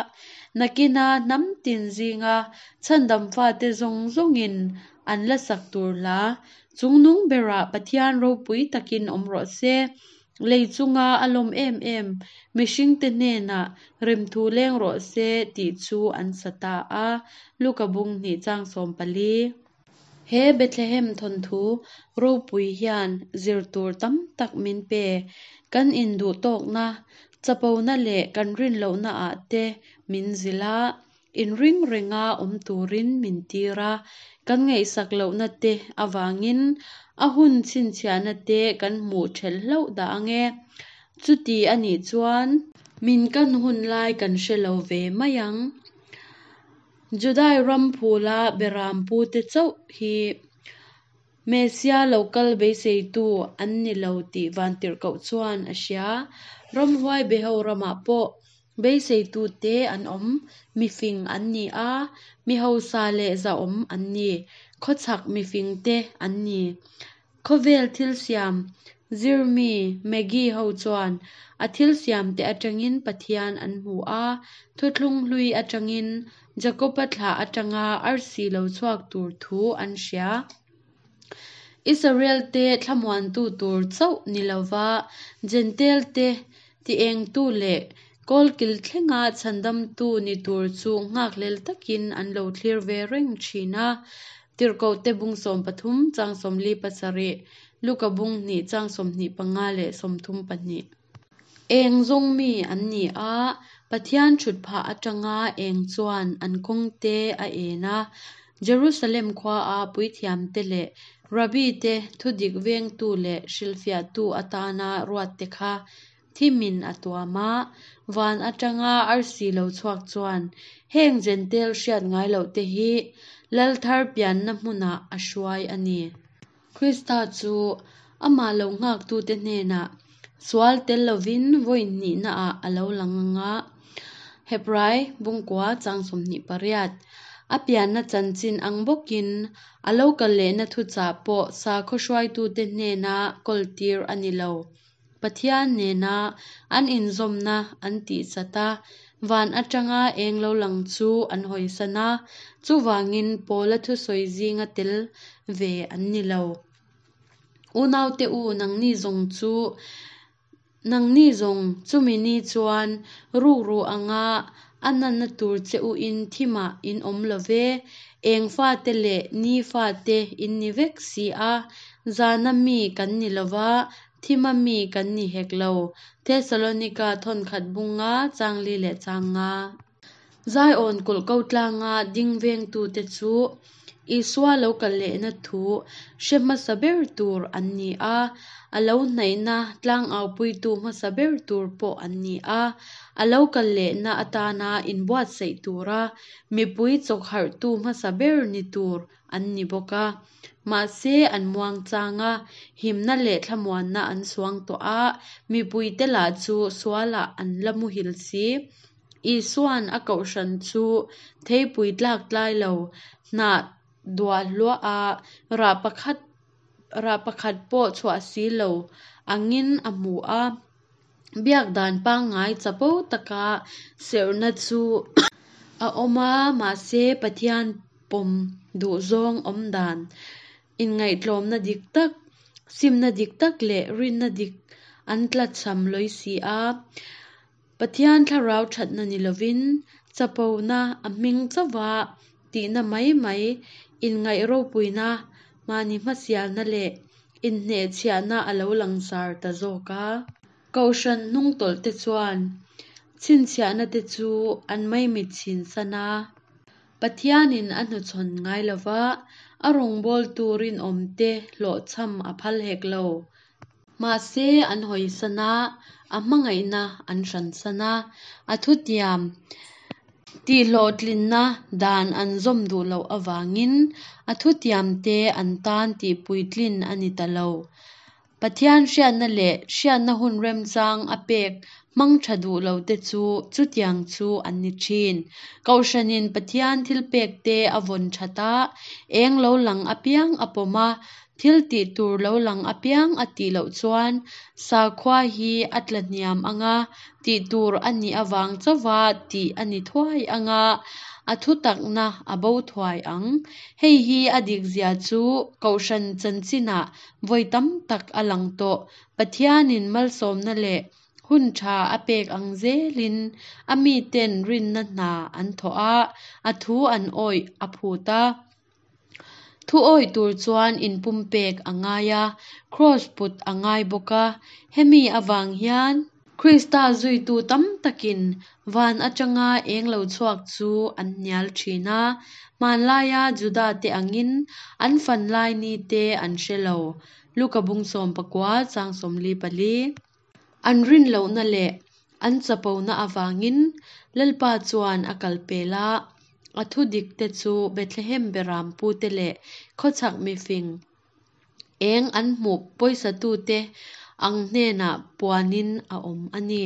Nakina hnam tin zinga chhandam fate zawng zawngin an la sak tur hla, Chungnung berah Pathian ropui takin awm rawh se. Lei chunga a lawm em em mihringte hnenah remthu leng rawh se tih chu an sa ta a, Luka bung hnih chang 14. He Bethlehem thawnthu ropui hian zir tur tam tak min pe. Kan induhtawkna, chapona leh kan rinlohna ah te min zilh a, inring renga awm turin min tir a, kan ngaihsak lohna te avangin a hun chhinchhiahna te kan hmuh ṭhelh hlauh dah ang e. Chuti a nih chuan min kan hun lai kan hre lo ve mai ang. Judai ram phula beram pute chauh hi Messia lo kal beiseitu an ni lo tih vantirhkoh chuan a hria. Ramhuai beho ramah pawh beiseitute an awm, mifing an ni a, mi hausa leh zahawm an ni, khawchhak mifingte an ni. Khawvel thil siam zirmi Maggie ho chuan a thil siamte atangin Pathian an hmu a, thuthlung hlui atangin Jakoba thlah atanga arsi lo chhuak tur thu an hria. Israel-te thlamuantu tur chauh ni lova Jentail-te tiengtu leh kawlkil thlenga chhandamtu ni tur chu nghakhlel takin an lo thlir ve reng thin a. Tirhkohte bung 13 chang 47, Luka bung hnih chang 25 leh 32. Eng zawng mi an ni a, Pathian thutphah atanga eng chuan an kawngte a en a. Jerusalem khuaa puithiamte leh Rabbi-te thudik vengtu leh hrilhfiahtu atana ruatte kha thimin a tuam a. Van atanga arsi lo chhuak chuan heng Jentail hriat ngai lohte hi Lal thar pianna hmunah a hruai a ni. Krista chu amah lo nghaktute hnenah sual tel lovin vawi hnihnaah a lo lang ang a, Hebrai bungkua chang 28. A pianna chanchin ang bawkin a lo kal lehna thuchah pawh sakhaw hruaitute hnena kawltir a ni lo. Pathian nena an inzawmna an tihchat a, van atanga eng lo lang chu an hawisan a, chuvangin Paula thusawi zinga tel ve an ni lo. Unaute u, nangni zawng chu nangni zawng chumi ni chuan rukru anga a nanna tur che u in thimah in awm lo ve, eng fate leh ni fate in ni vek si a, zana mi kan ni lo va, thima mi kan ni hek lo. Thesalonika thawnkhat bunga chang li leh chang nga. Zion kulh ko tlanga ding vengtute chu Isua lo kal lehna thu hre hmasa ber tur an ni a, a lo hnaihna tlangaupuitu hmasa ber tur pawh an ni a, a lo kal lehna atana inbuatsaih tura mipui chawkharhtu hmasa ber ni tur an ni bawk a. Mahse an muangchang a, himna leh thlamuanna an suang tawh a, mipuite lah chu sualah an la muhil si. Isua'n a kohhran chu theipui tlak tlai lo, hnah duah hluah a, rah pakhat rah pakhat pawh chhuah si lo angin a hmu a. Biak dan pangngai chapo taka serhna chu a awm a, mahse Pathian pawm duhzawng awm dan, inngaihtlawmna dik tak, simna dik tak leh rinna dik an tlachham lawi si a. Pathian thlarau thatna ni lovin chapona a hming chauha tihna mai mai, inngaih ropuina, mahni hmasialna leh inhnehchhiahna a lo langsar ta zawk a. Kohhran hnungtawlh te chuan chhinchhiahna te chu an maimit chhin san a. Pathianin a hnuchhawn ngai lova, a rawngbawltu rinawmte hlawhchham a phal hek lo. Mahse an hawisan a, a hmangaihna an hransan a, a thutiam tihhlawhtlinna dan an zawm duh loh avangin a thutiamte an tan tihpuitlin a ni ta lo. Pathian hriatna leh hriatna hun remchang a pek hmang tha duh lote chu chutiang chu an ni thin. Kohhranin Pathian thilpekte a vawn that a, eng lo lang apiang a pawm a, thil tih tur lo lang apiang a tih loh chuan sakhua hi a tla hniam ang a, tih tur a nih avang chauha tih a ni thuai ang a, a thutakna a bo thuai ang. Hei hi a dikzia chu Kohhran chanchinah vawi tam tak a lang tawh. Pathianin malsawmna leh hun tha a pek ang zelin a miten rinna hna an thawh a, a thu an awih a phut a. Thu awih tur chuan inpumpek a ngai a, kraws put a ngai bawk a. Hemi avang hian Krista zuitu tam takin van atanga eng lo chhuak chu an hnial thin a, hmanlaia Juda-te angin an fanlai nite an hre lo. Luka bung 19 chang 44. An rin lohna leh an chapona avangin Lalpa chuan a kal pel a, a thu dikte chu Bethlehem beram pute leh khawchhak mifing eng an hmuh pawisatute ang hnenah puanin a awm a ni.